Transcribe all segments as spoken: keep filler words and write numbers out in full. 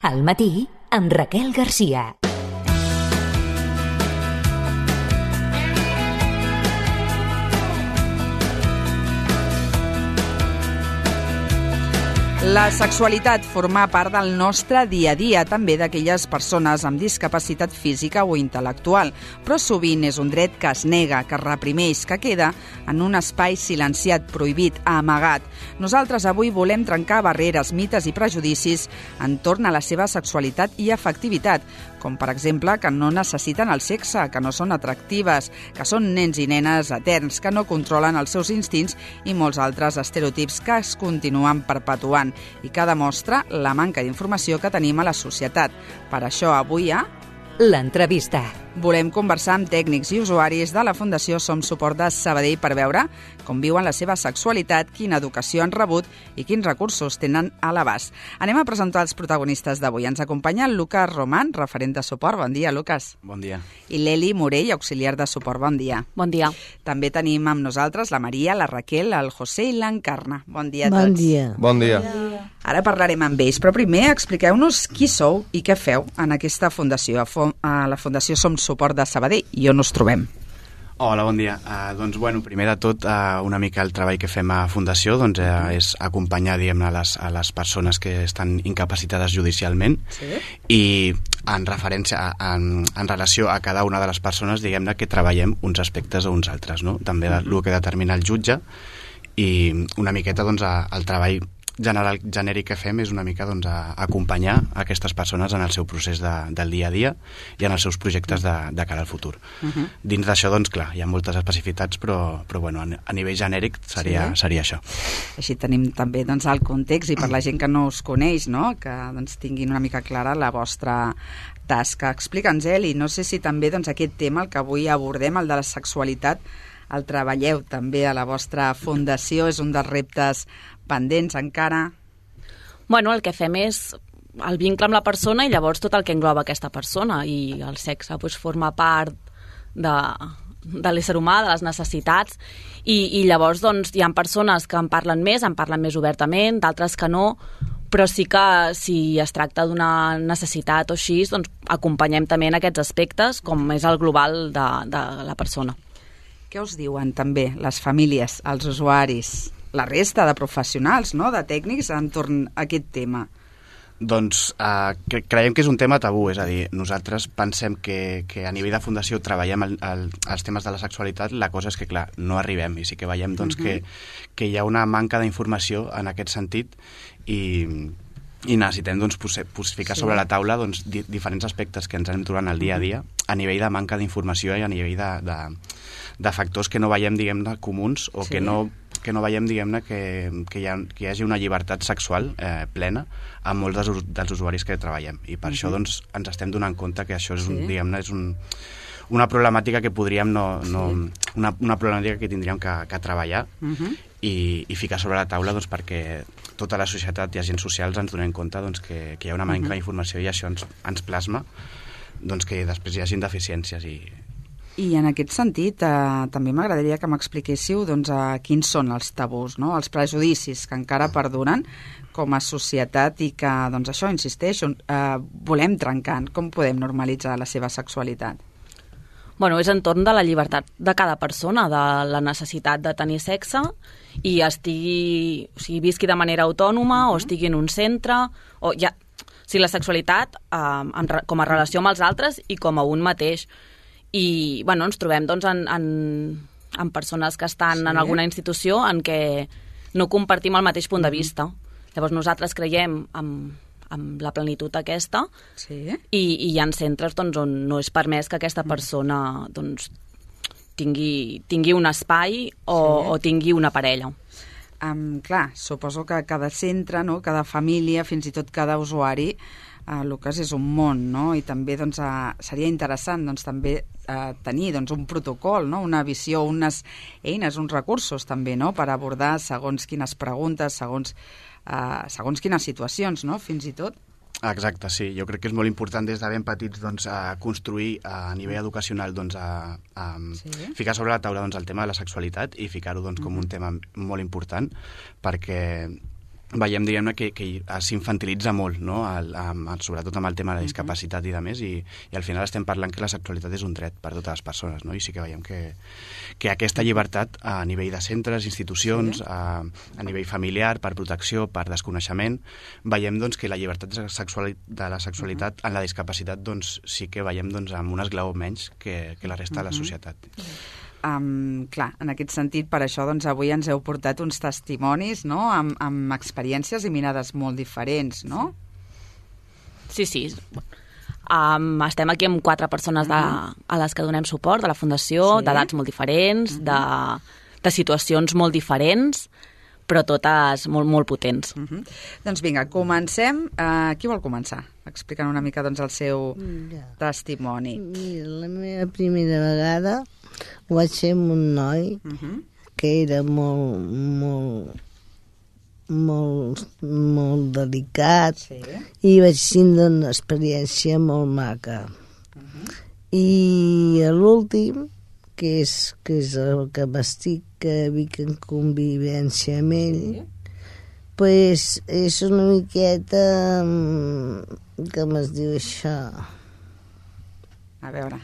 Al matí, amb Raquel Garcia. La sexualitat forma part del nostre dia a dia, també d'aquelles persones amb discapacitat física o intel·lectual, però sovint és un dret que es nega, que es reprimeix, que queda en un espai silenciat, prohibit, amagat. Nosaltres avui volem trencar barreres, mites i prejudicis entorn a la seva sexualitat i afectivitat, com per exemple que no necessiten el sexe, que no són atractives, que són nens i nenes eterns, que no controlen els seus instints i molts altres estereotips que es continuen perpetuant i que demostra la manca d'informació que tenim a la societat. Per això avui hi ha l'entrevista. Volem conversar amb tècnics i usuaris de la Fundació Som Suport de Sabadell per veure com viuen la seva sexualitat, quina educació han rebut i quins recursos tenen a l'abast. Anem a presentar els protagonistes d'avui. Ens acompanya el Lucas Román, referent de suport. Bon dia, Lucas. Bon dia. I l'Eli Morell, auxiliar de suport. Bon dia. Bon dia. També tenim amb nosaltres la Maria, la Raquel, el José i l'Encarna. Bon dia a tots. Bon dia. Bon dia. Ara parlarem amb ells, però primer expliqueu-nos qui sou i què feu en aquesta fundació, a la Fundació Som Suport de Sabadell, i on us trobem. Hola, bon dia. Uh, doncs, bueno, primer de tot, uh, una mica el treball que fem a Fundació doncs, uh, és acompanyar, diguem-ne, les, a les persones que estan incapacitades judicialment. Sí? I en referència, a, en, en relació a cada una de les persones, diguem-ne, que treballem uns aspectes o uns altres, no? També el que determina el jutge, i una miqueta, doncs, a, el treball general genèric que fem és una mica doncs, a, a acompanyar aquestes persones en el seu procés de, del dia a dia i en els seus projectes de, de cara al futur. Uh -huh. Dins d'això, doncs, clar, hi ha moltes especificitats, però, però bueno, a nivell genèric seria, sí. seria això. Així tenim també doncs, el context, i per la gent que no us coneix, no? Que doncs, tinguin una mica clara la vostra tasca. Explica'ns, Eli, no sé si també doncs, aquest tema, el que avui abordem, el de la sexualitat, el treballeu també a la vostra fundació, és un dels reptes pendents encara? Bueno, el que fem és el vincle amb la persona i llavors tot el que engloba aquesta persona, i el sexe doncs, forma part de, de l'ésser humà, de les necessitats, i, i llavors doncs, hi ha persones que en parlen més, en parlen més obertament, d'altres que no, però sí que si es tracta d'una necessitat o així, doncs acompanyem també en aquests aspectes, com és el global de, de la persona. Què us diuen també les famílies, els usuaris, la resta de professionals, no?, de tècnics entorn a aquest tema? Doncs eh, cre creiem que és un tema tabú, és a dir, nosaltres pensem que, que a nivell de fundació treballem el, el, els temes de la sexualitat, la cosa és que, clar, no arribem, i sí que veiem doncs, uh -huh. que, que hi ha una manca d'informació en aquest sentit, i, i necessitem doncs, posar, ficar sí. sobre la taula doncs, di diferents aspectes que ens anem trobant al dia a dia a nivell de manca d'informació i a nivell de, de, de factors que no veiem, diguem-ne, comuns, o sí. que no que no veiem, diguem-ne, que, que, hi ha, que hi hagi una llibertat sexual eh, plena amb molts dels, dels usuaris que treballem. I per uh -huh. això doncs, ens estem donant compte que això és, un, sí. diguem-ne, és un, una problemàtica que podríem no, no, sí. una, una problemàtica que tindríem que, que treballar uh -huh. i, i ficar sobre la taula doncs, perquè tota la societat i agents socials ens donem compte doncs, que, que hi ha una manca uh -huh. d'informació, i això ens, ens plasma doncs, que després hi hagin deficiències. I, I en aquest sentit, eh, també m'agradaria que m'expliquéssiu doncs, eh, quins són els tabús, no? Els prejudicis que encara perduren com a societat i que, doncs això, insisteixo, eh, volem trencar. Com podem normalitzar la seva sexualitat? Bueno, és entorn de la llibertat de cada persona, de la necessitat de tenir sexe, i estigui, o sigui, visqui de manera autònoma, uh-huh. o estigui en un centre, o ja, o sigui, la sexualitat eh, en, com a relació amb els altres i com a un mateix. I bueno, ens trobem doncs, en, en, en persones que estan sí. en alguna institució en què no compartim el mateix punt de vista. Mm-hmm. Llavors nosaltres creiem en, en la plenitud aquesta, sí. i, i hi ha centres doncs, on no és permès que aquesta persona doncs, tingui, tingui un espai o, sí. o tingui una parella. Um, clar, suposo que cada centre, no? Cada família, fins i tot cada usuari, Uh, Lucas, és un món, no? I també doncs, uh, seria interessant doncs, també uh, tenir doncs, un protocol, no? Una visió, unes eines, uns recursos també, no? Per abordar segons quines preguntes, segons, uh, segons quines situacions, no? Fins i tot. Exacte, sí. Jo crec que és molt important des de ben petits doncs, a construir a nivell educacional, doncs, a, a sí. ficar sobre la taula doncs, el tema de la sexualitat i ficar-ho doncs, com uh-huh. un tema molt important, perquè veiem, diguem-ne, que, que s'infantilitza molt, no? El, amb, sobretot amb el tema de la discapacitat i de més, i, i al final estem parlant que la sexualitat és un dret per a totes les persones, no? I sí que veiem que, que aquesta llibertat a nivell de centres, institucions, sí. a, a nivell familiar, per protecció, per desconeixement, veiem doncs, que la llibertat de, sexuali de la sexualitat uh-huh. en la discapacitat doncs, sí que veiem doncs, amb un esglaó menys que, que la resta uh-huh. de la societat. Um, clar, en aquest sentit, per això doncs, avui ens heu portat uns testimonis, no?, amb, amb experiències i mirades molt diferents, no? Sí, sí. Um, estem aquí amb quatre persones de, a les que donem suport, de la Fundació, sí. d'edats molt diferents, uh-huh. de, de situacions molt diferents, però totes molt, molt potents. Uh-huh. Doncs vinga, comencem. Uh, qui vol començar? Explicant una mica doncs, el seu ja. testimoni. Mira, la meva primera vegada ho vaig fer amb un noi uh-huh. que era molt, molt, molt, molt delicat sí. i vaig tindre una experiència molt maca. Uh-huh. I a l'últim, que és, que és el que m'estic, que vic en convivència amb ell, sí. pues és una miqueta... com es diu això? A veure,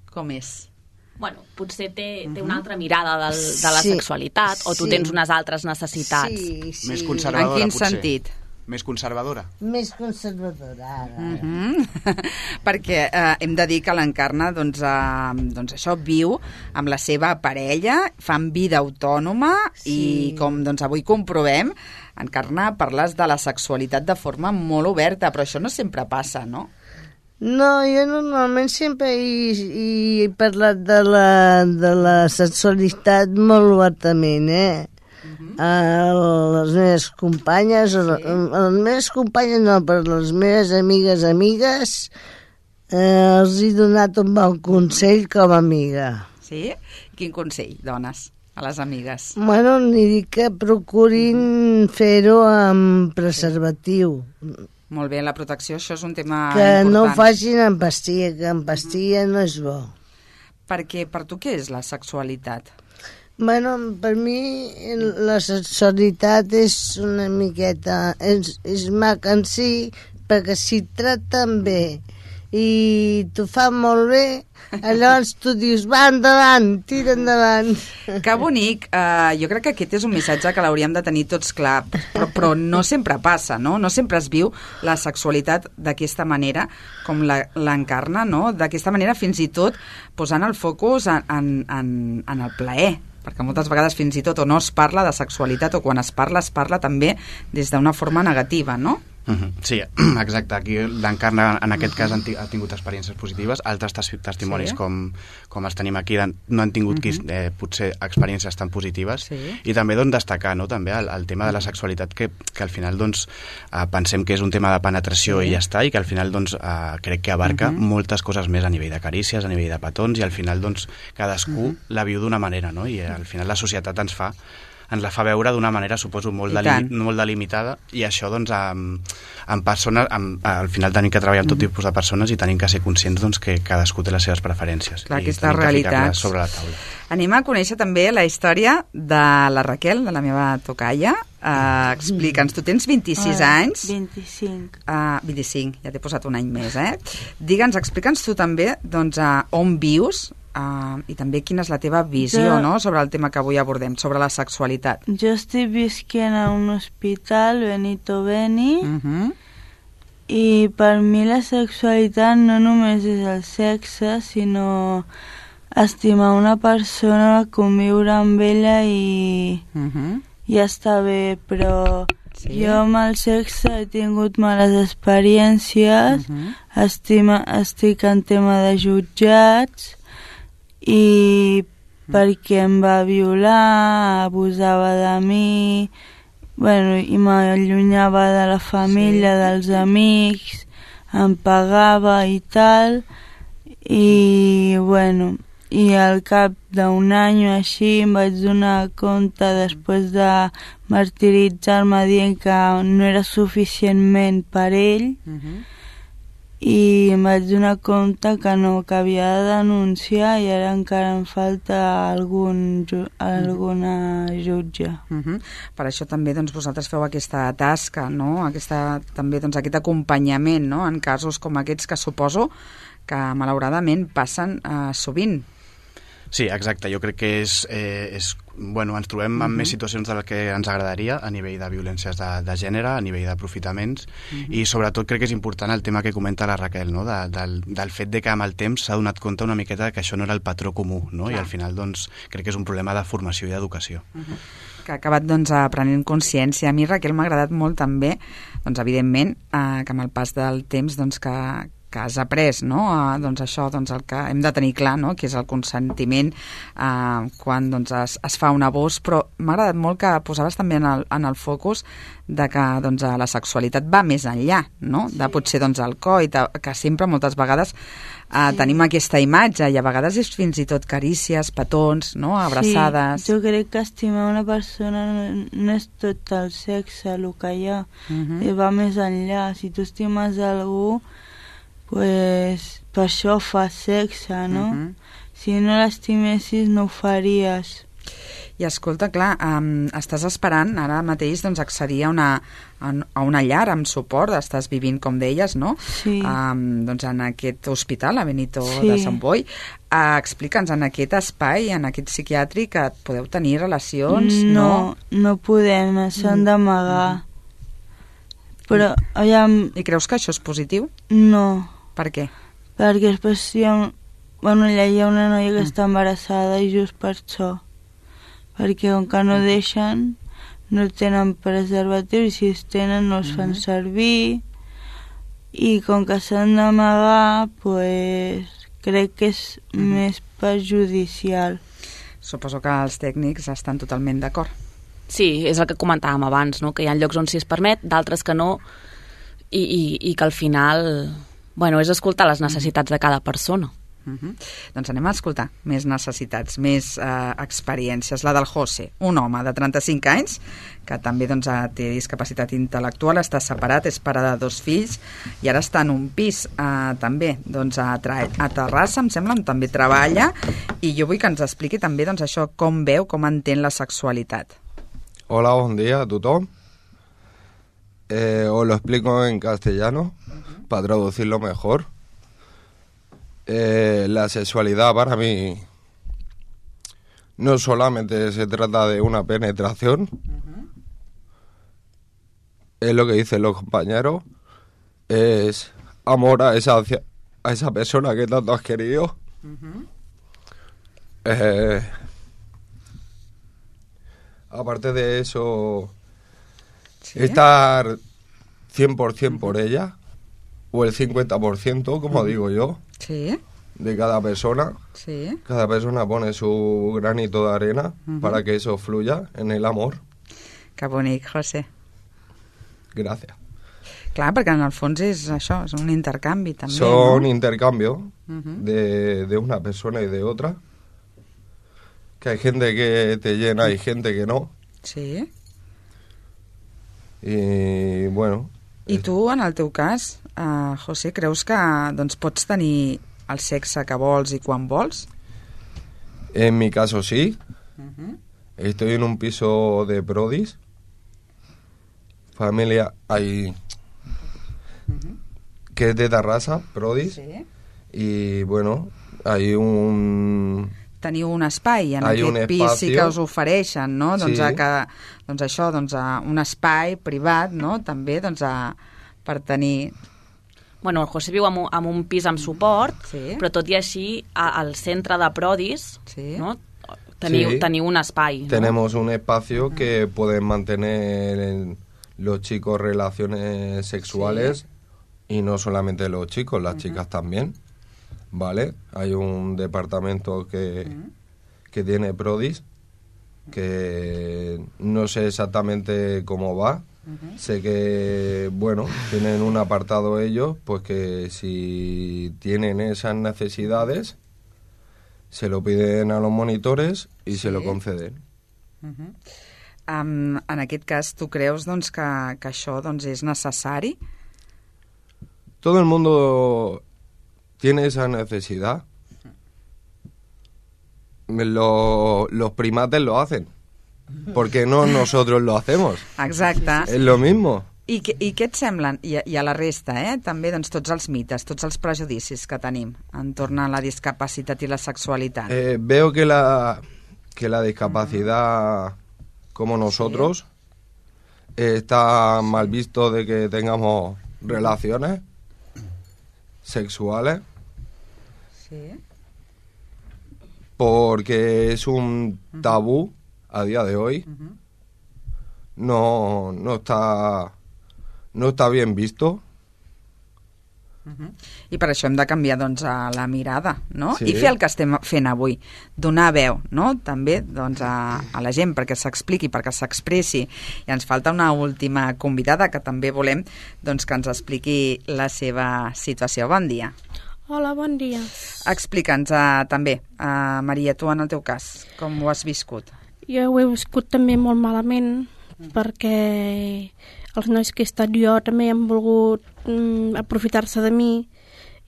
com és? Bueno, potser té, uh-huh. té una altra mirada del, de la sí, sexualitat, o tu sí. tens unes altres necessitats. Sí, sí. Més conservadora, en quin potser. sentit? Més conservadora? Més conservadora, ara. Uh-huh. Perquè eh, hem de dir que l'Encarna, doncs, eh, doncs això, viu amb la seva parella, fan vida autònoma sí. i, com doncs, avui comprovem, Encarna, parles de la sexualitat de forma molt oberta, però això no sempre passa, no? No, jo normalment sempre he, he parlat de la, de la sexualitat molt obertament, eh? Uh-huh. A les meves companyes, sí. a les meves companyes no, però les meves amigues amigues eh, els he donat un bon consell com a amiga. Sí? Quin consell dones a les amigues? Bueno, n'hi dic que procurin fer-ho amb preservatiu. Molt bé, la protecció, això és un tema que important. Que no ho facin amb pastilla, que amb pastilla no és bo. Perquè per tu què és la sexualitat? Bueno, per mi la sexualitat és una miqueta... És, és maca en si, perquè si et traten bé i t'ho fan molt bé, llavors tu dius, va, endavant, tira endavant. Que bonic. Uh, jo crec que aquest és un missatge que l'hauríem de tenir tots clar, però, però no sempre passa, no? No sempre es viu la sexualitat d'aquesta manera, com l'Encarna, no? D'aquesta manera, fins i tot posant el focus en, en, en, en el plaer, perquè moltes vegades fins i tot o no es parla de sexualitat o quan es parla, es parla també des d'una forma negativa, no? Uh-huh. Sí, exacte. Aquí l'Encarna, en aquest cas, ha tingut experiències positives. Altres testimonis, sí. com, com els tenim aquí, no han tingut uh-huh. eh, potser experiències tan positives. Sí. I també doncs, destacar no, també el, el tema de la sexualitat, que, que al final doncs, eh, pensem que és un tema de penetració sí. i ja està, i que al final doncs, eh, crec que abarca uh-huh. moltes coses més a nivell de carícies, a nivell de petons, i al final doncs, cadascú uh-huh. la viu d'una manera, no? I al final la societat ens fa ens la fa veure d'una manera, suposo, molt, delim molt delimitada, i això, doncs, amb, amb persones, amb, al final tenim que treballar amb tot tipus de persones i tenim que ser conscients doncs, que cadascú té les seves preferències. Clar, i aquestes realitats. Sobre la taula. Anem a conèixer també la història de la Raquel, de la meva tocalla. Uh, Explica'ns, tu tens vint-i-sis ah, anys. vint-i-cinc. Uh, vint-i-cinc, ja t'he posat un any més, eh? Digue'ns, explica'ns tu també doncs, uh, on vius, Uh, i també quina és la teva visió jo, no? sobre el tema que avui abordem, sobre la sexualitat. Jo estic visquent a un hospital, Benito Beni, uh-huh. i per mi la sexualitat no només és el sexe, sinó estimar una persona, conviure amb ella i uh-huh. ja està bé, però sí. jo amb el sexe he tingut males experiències, uh-huh. estima, estic en tema de jutjats, i perquè em va violar, abusava de mi, bueno, i m'allunyava de la família, sí. dels amics, em pagava i tal, i bueno, i al cap d'un any o així em vaig donar compte, després de martiritzar-me dient que no era suficientment per ell, uh-huh. i em vaig donar compte que no, que havia de denunciar i ara encara em falta algun, alguna jutge. Uh-huh. Per això també doncs, vosaltres feu aquesta tasca, no? aquesta, també doncs, aquest acompanyament, no? En casos com aquests que suposo que malauradament passen eh, sovint. Sí, exacte. Jo crec que és, eh, és bueno, ens trobem en uh -huh. més situacions de les que ens agradaria a nivell de violències de, de gènere, a nivell d'aprofitaments, uh -huh. i sobretot crec que és important el tema que comenta la Raquel, no? de, del, del fet de que amb el temps s'ha donat compte una miqueta que això no era el patró comú, no? I al final doncs, crec que és un problema de formació i d'educació. Uh -huh. Que ha acabat doncs, prenent consciència. A mi, Raquel, m'ha agradat molt també, doncs, evidentment, eh, que amb el pas del temps doncs, que que has après, no? Uh, doncs això, doncs el que hem de tenir clar, no? Que és el consentiment uh, quan doncs, es, es fa un abús, però m'ha agradat molt que posaves també en el, en el focus de que doncs, la sexualitat va més enllà, no? De sí. Potser doncs, el coit, que sempre moltes vegades uh, sí. tenim aquesta imatge i a vegades és fins i tot carícies, petons, no? Abraçades. Sí, jo crec que estimar una persona no, no és tot el sexe, el que hi ha, uh-huh. i va més enllà. Si tu estimes algú, pues per això fas sexe, no? Uh-huh. Si no l'estimessis no ho faries. I escolta, clar, um, estàs esperant ara mateix doncs, accedir a una, a una llar amb suport, estàs vivint, com deies, no? Sí. Um, doncs en aquest hospital, a Benito sí. de Sant Boi. Uh, Explica'ns, en aquest espai, en aquest psiquiàtric, que podeu tenir relacions, no? No, no podem, s'han d'amagar. Mm. Però, aviam... I creus que això és positiu? No. Per què? Perquè després hi ha, un... bueno, allà hi ha una noia que mm. està embarassada i just per això. Perquè com que no deixen, no tenen preservatiu i si es tenen no es fan mm. servir. I com que s'han d'amagar, pues, crec que és mm. més perjudicial. Suposo que els tècnics estan totalment d'acord. Sí, és el que comentàvem abans, no? Que hi ha llocs on s'hi es permet, d'altres que no, i, i, i que al final... Bueno, és escoltar les necessitats de cada persona. Uh-huh. Doncs anem a escoltar més necessitats, més eh, experiències. La del José, un home de trenta-cinc anys que també doncs, té discapacitat intel·lectual, està separat, és pare de dos fills i ara està en un pis eh, també doncs, a, a Terrassa, em sembla, on també treballa, i jo vull que ens expliqui també doncs, això, com veu, com entén la sexualitat. Hola, buen día a todos. Eh, os lo explico en castellano uh-huh. para traducirlo mejor. Eh, la sexualidad para mí no solamente se trata de una penetración, uh-huh. es lo que dicen los compañeros, es amor a esa, a esa persona que tanto has querido. Uh-huh. Eh, aparte de eso, ¿sí? Estar cien por ciento por ella, o el cincuenta por ciento, como digo yo, sí. de cada persona. Sí. Cada persona pone su granito de arena uh-huh. para que eso fluya en el amor. Que bonic, José. Gracias. Clar, perquè en el fons és això, és un intercanvi també, Son ¿no? intercambio uh-huh. de, de una persona y de otra. Que hay gente que te llena y gente que no. Sí. I, bueno... I tu, en el teu cas, uh, José, creus que doncs, pots tenir el sexe que vols i quan vols? En mi caso sí. Uh-huh. Estoy en un piso de Prodis. Familia hay... Uh-huh. Que es de Terrassa, Prodis. Sí. Y, bueno, hay un... Teniu un espai en Hay aquest pis sí que us ofereixen, no? Doncs, sí. a que, doncs això, doncs a un espai privat, no? També doncs a, per tenir... Bueno, el José viu en un, en un pis amb suport, sí. però tot i així a, al centre de Prodis sí. no? teniu, sí. teniu un espai. ¿no? Tenemos un espacio que pueden mantener en los chicos relaciones sexuales sí. y no solamente los chicos, las uh-huh. chicas también. Vale, hay un departamento que, uh-huh. que tiene Prodis, que no sé exactamente cómo va. Uh-huh. Sé que, bueno, tienen un apartado ellos, pues que si tienen esas necesidades, se lo piden a los monitores i sí. se lo conceden. Uh-huh. Um, en aquest cas, tu creus doncs, que, que això doncs, és necessari? todo el mundo tiene esa necesidad. Lo, los primates lo hacen. ¿Por qué no nosotros lo hacemos? Exacte. És lo mismo. I, que, I què et semblen? I, I a la resta, eh? També doncs, tots els mites, tots els prejudicis que tenim entorn a la discapacitat i la sexualitat. Eh, veo que la, que la discapacidad, como nosotros, sí. eh, está mal visto de que tengamos relaciones sexuales. Sí. Porque es un tabú a día de hoy. Uh-huh. No, no está, no está bien visto. Uh-huh. I per això hem de canviar doncs, a la mirada, no? Sí. I fer el que estem fent avui, donar veu, no? També doncs, a, a la gent perquè s'expliqui, perquè s'expressi. I ens falta una última convidada que també volem doncs, que ens expliqui la seva situació. Bon dia. Hola, bon dia. Explica'ns uh, també, uh, Maria, tu en el teu cas, com ho has viscut? Jo ho he viscut també molt malament, mm. perquè els nois que he estat jo també han volgut mm, aprofitar-se de mi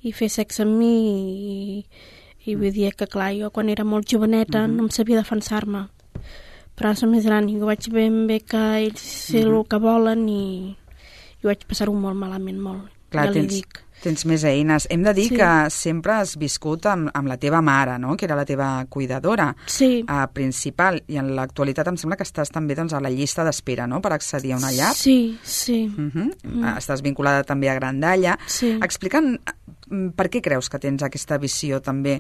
i fer sexe amb mi i, i vull dir que, clar, jo quan era molt joveneta mm-hmm. no em sabia defensar-me. Però ara som més gran i ho vaig ben bé que ells sé mm-hmm. el que volen i, i vaig passar-ho molt malament, molt. Clar, ja li tens... dic. Tens més eines. Hem de dir sí. que sempre has viscut amb, amb la teva mare, no? Que era la teva cuidadora sí. uh, principal. I en l'actualitat em sembla que estàs també doncs, a la llista d'espera, no?, per accedir a una llar. Sí, sí. Uh-huh. Mm. Estàs vinculada també a Grandalla. Sí. Explica'm per què creus que tens aquesta visió també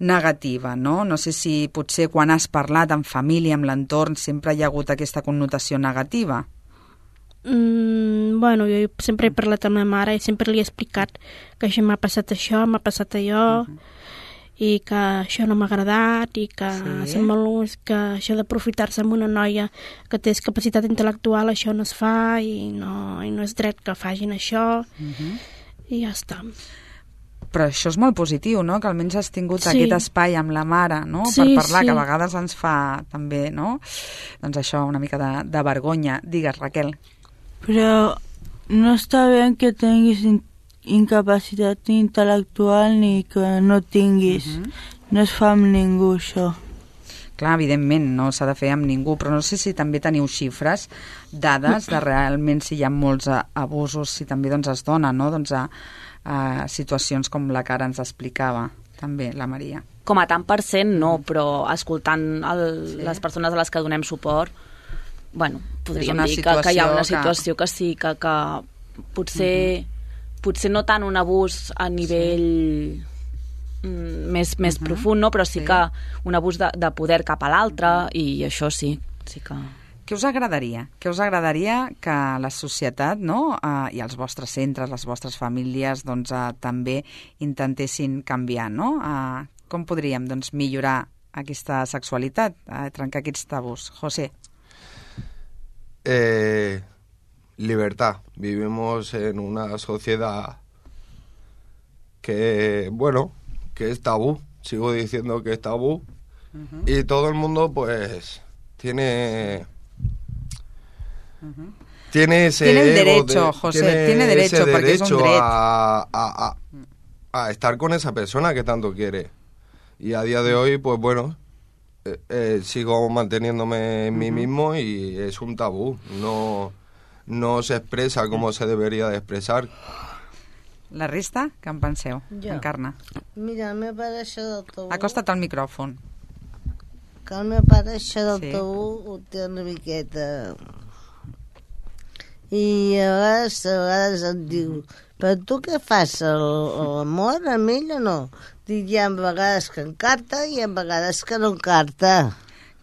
negativa, no? No sé si potser quan has parlat amb família, amb l'entorn, sempre hi ha hagut aquesta connotació negativa. Mm, bueno, jo sempre he parlat amb la mare i sempre li he explicat que això m'ha passat això, m'ha passat allò, uh-huh. i que això no m'ha agradat i que, sí. molt, que això d'aprofitar-se amb una noia que té capacitat intel·lectual, això no es fa i no, i no és dret que facin això, uh-huh. i ja està. Però això és molt positiu, no?, que almenys has tingut sí. aquest espai amb la mare, no?, sí, per parlar, sí. que a vegades ens fa també, no?, doncs això, una mica de, de vergonya. Digues, Raquel. Però no està bé que tinguis in incapacitat intel·lectual ni que no tinguis. Uh-huh. No es fa amb ningú, això. Clar, evidentment, no s'ha de fer amb ningú, però no sé si també teniu xifres, dades de realment si hi ha molts abusos, si també doncs, es dona, no?, doncs, a, a situacions com la que ara ens explicava també la Maria. Com a tant per cent no, però escoltant el, sí. les persones a les que donem suport, bueno, podríem dir que, que hi ha una situació que, que sí, que, que potser, uh-huh. potser no tant un abús a nivell sí. mm, més, més uh-huh. profund, no? Però sí, sí que un abús de, de poder cap a l'altre, uh-huh. i això sí, sí que... Què us agradaria? Què us agradaria que la societat, no?, uh, i els vostres centres, les vostres famílies, doncs, uh, també intentessin canviar, no? Uh, com podríem, doncs, millorar aquesta sexualitat, uh, trencar aquests tabús? José. Eh, libertad. Vivimos en una sociedad que, bueno, que es tabú. Sigo diciendo que es tabú. Uh-huh. Y todo el mundo, pues, tiene... Uh-huh. Tiene ese tiene el derecho, de, José, tiene, tiene derecho, ese porque derecho es un derecho a, a, a, a estar con esa persona que tanto quiere. Y a día de hoy, pues bueno, eh, eh, sigo manteniéndome en uh-huh. mí mismo y es un tabú. No, no se expresa como se debería de expresar. La resta, què en penseu? Jo. Encarna. Mira, el meu pare això del tabú... Acosta't al micròfon. Que el meu pare això del sí. tabú ho té una miqueta... I a vegades, a vegades em diu, però tu què fas, l'amor amb ell o no? Dic, hi ha vegades que encarta i hi ha vegades que no encarta.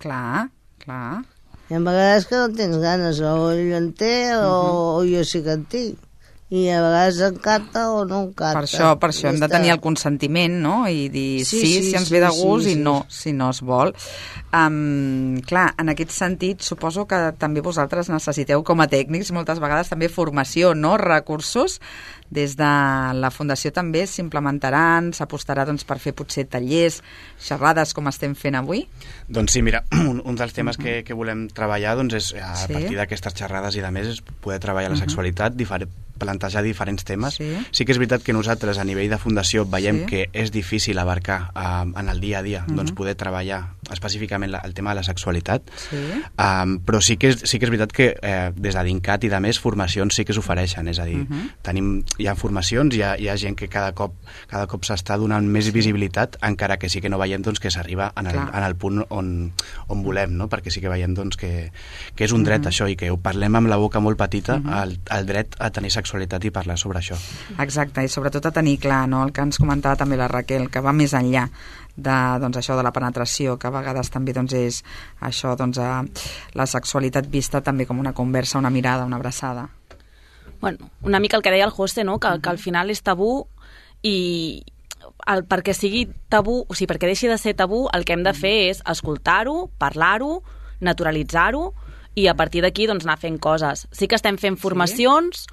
Clar, clar. Hi ha vegades que no tens ganes, o ell en té o, uh-huh. o jo sí que en tinc. I a vegades encarta o no encarta. Per això, per això hem de tenir el consentiment, no?, i dir sí, sí, sí si ens sí, ve de gust sí, i sí. no, si no es vol. Um, clar, en aquest sentit, suposo que també vosaltres necessiteu, com a tècnics, moltes vegades també formació, no?, recursos. Des de la Fundació també s'implementaran, s'apostarà doncs, per fer potser tallers, xerrades com estem fent avui? Doncs sí, mira, un, un dels temes uh-huh. que, que volem treballar doncs, és a sí. partir d'aquestes xerrades i de més és poder treballar la uh-huh. sexualitat, diferent plantejar diferents temes. Sí. Sí que és veritat que nosaltres a nivell de fundació veiem Sí. que és difícil abarcar uh, en el dia a dia Mhm. doncs poder treballar específicament la, el tema de la sexualitat, Sí. um, però sí que, és, sí que és veritat que eh, des de DINCAT i de més formacions sí que s'ofereixen, és a dir, Mhm. tenim, hi ha formacions, hi ha, hi ha gent que cada cop, cada cop s'està donant més visibilitat, encara que sí que no veiem doncs, que s'arriba en, el, Clar. en el punt on, on volem, no? Perquè sí que veiem doncs, que, que és un dret Mhm. això i que ho parlem amb la boca molt petita, Mhm. el, el dret a tenir sexualitat i parlar sobre això. Exacte, i sobretot a tenir clar, no?, el que ens comentava també la Raquel, que va més enllà de, doncs, això de la penetració, que a vegades també doncs, és això, doncs, a, la sexualitat vista també com una conversa, una mirada, una abraçada. Bueno, una mica el que deia el José, no? que, que al final és tabú i el, perquè sigui tabú, o sigui, perquè deixi de ser tabú, el que hem de fer és escoltar-ho, parlar-ho, naturalitzar-ho i a partir d'aquí doncs, anar fent coses. Sí que estem fent formacions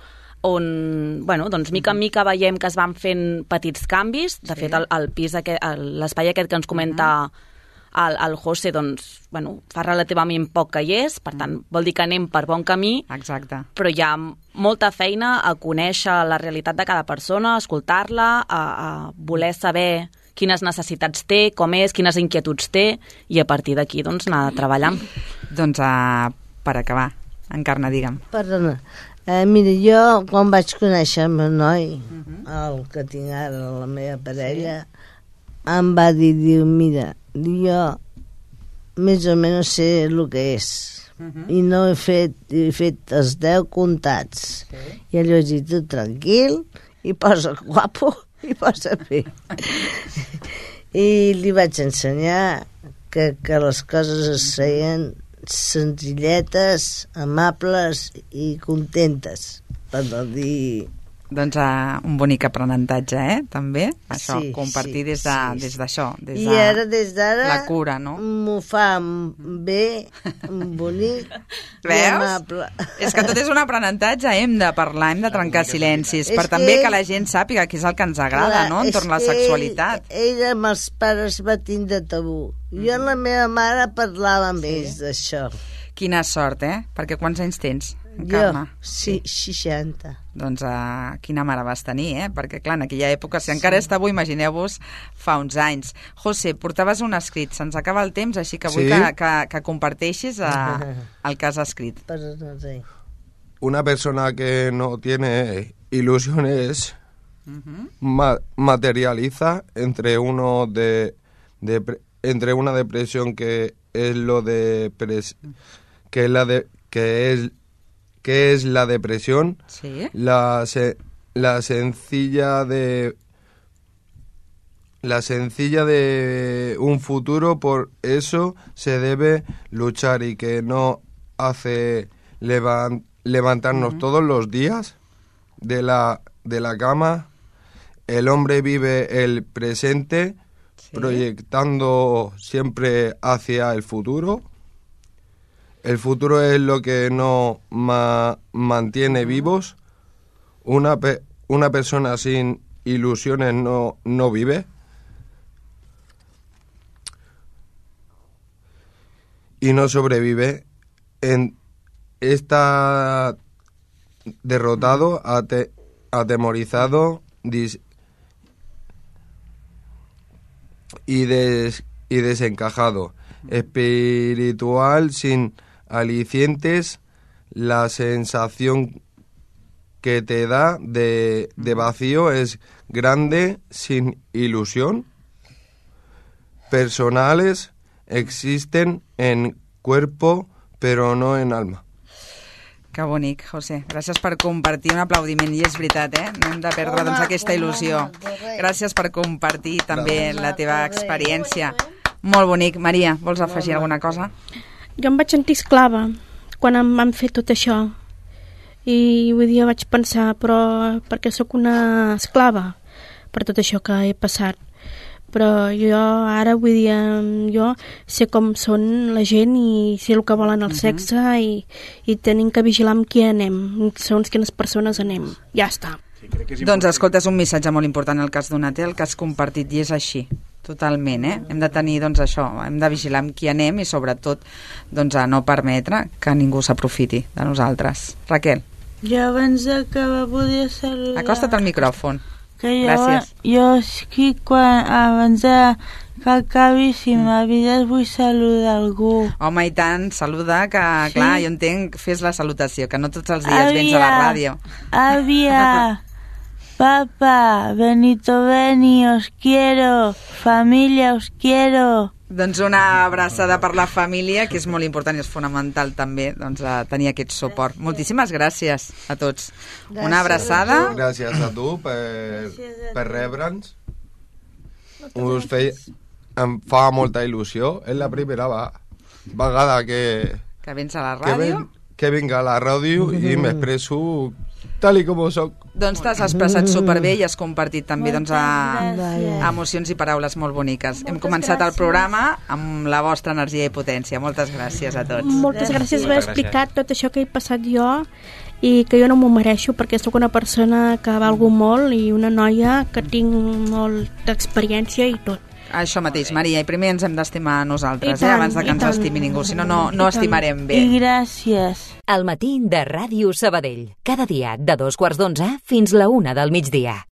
on, bueno, doncs mica en mica veiem que es van fent petits canvis. De Sí. fet, el, el pis aquest, el- l'espai aquest que ens comenta el, el José, doncs, bueno, fa relativament poc que hi és, per tant, vol dir que anem per bon camí, Exacte. però hi ha molta feina a conèixer la realitat de cada persona, a escoltar-la, a, a voler saber quines necessitats té, com és, quines inquietuds té, i a partir d'aquí doncs, anar treballant. Doncs uh, per acabar, Encarna, digue'm. Perdona. Eh, mira, jo quan vaig conèixer el meu noi, el que tinc ara, la meva parella, em va dir, diu, mira, jo més o menys sé el que és. I no he fet, he fet els deu comptats. I allò vaig dir, tu tranquil, i posa guapo, i posa bé. I li vaig ensenyar que, que les coses es feien senzilletes, amables i contentes, per no dir... Doncs uh, un bonic aprenentatge, eh? També, això, Sí, compartir sí, des de, sí, des d'això, des I de ara, des d'ara, la cura, no? m'ho fa bé, bonic i Veus? amable. És que tot és un aprenentatge, hem de parlar, hem de trencar silencis, És per que també ell- que la gent sàpiga què és el que ens agrada, Clar, no?, és entorn a la que sexualitat. Ell, ell amb els pares va tindre tabú. Jo amb la meva mare parlava amb ells d'això. Quina sort, eh? Perquè quants anys tens, Jo, Encarna? sí, seixanta. Doncs uh, quina mare vas tenir, eh? Perquè, clar, en aquella època, si encara és tabú, imagineu-vos fa uns anys. José, portaves un escrit, se'ns acaba el temps, així que vull Sí. que, que, que comparteixis uh, el que has escrit. Perdona, sí. Una persona que no tiene ilusiones ma- materializa entre uno de, de pre- entre una depresión que es lo de pres- que es la de que es que es la depresión, Sí? la se- la sencilla de la sencilla de un futuro. Por eso se debe luchar y que no hace levan- levantarnos todos los días de la de la cama. El hombre vive el presente Sí. proyectando siempre hacia el futuro. El futuro es lo que nos ma- mantiene vivos. Una, pe- una persona sin ilusiones no, no vive. Y no sobrevive. En, está derrotado, ate- atemorizado dis- y, des- y desencajado. Espiritual sin alicientes, la sensación que te da de, de vacío es grande, sin ilusión. Personales existen en cuerpo, pero no en alma. Que bonic, José. Gràcies per compartir, un aplaudiment, i és veritat, eh? No hem de perdre doncs, aquesta il·lusió. Gràcies per compartir també la teva experiència. Molt bonic. Maria, vols afegir alguna cosa? Jo em vaig sentir esclava quan em van fer tot això. I vull dir, vaig pensar, però perquè sóc una esclava per tot això que he passat. Però jo ara, vull dir, jo sé com són la gent i sé el que volen el sexe i, i tenim que vigilar amb qui anem, segons quines persones anem. Ja està. Doncs escolta, és un missatge molt important el que has donat, eh? El que has compartit, i és així. Totalment, eh? Hem de tenir, doncs, això, hem de vigilar amb qui anem i, sobretot, doncs, a no permetre que ningú s'aprofiti de nosaltres. Raquel? Jo abans d'acabar volia saludar... Acosta't al micròfon. Que jo, Gràcies. Jo sí, quan, abans de que acabi, si m'avides, vull saludar algú. Home, i tant, saluda, que Sí? clar, jo entenc, fes la salutació, que no tots els dies vens a la ràdio. Àvia, papa, Benito Beni, os quiero, familia, os quiero. Doncs una abraçada per la família, que és molt important i és fonamental també doncs, a tenir aquest suport. Moltíssimes gràcies a tots. Una abraçada. Gràcies a tu per, per rebre'ns. Us feia, em fa molta il·lusió. És la primera va- vegada que, Que vens a la que, ràdio. ven, que vinc a la ràdio i m'expresso tal i com soc. Doncs t'has expressat superbé i has compartit també doncs, a, gràcies. emocions i paraules molt boniques. Hem començat el programa amb la vostra energia i potència. Moltes gràcies a tots. Moltes gràcies per haver Moltes explicat tot això que he passat jo i que jo no m'ho mereixo perquè sóc una persona que valgo molt i una noia que tinc molta experiència i tot. Això mateix, Maria, i primer ens hem d'estimar nosaltres, I tant, eh, abans de que i ens tant. estimi ningú, si no, no, no I tant. estimarem bé. I gràcies. El matí de Ràdio Sabadell. Cada dia de dos quarts d'onze fins la una del migdia.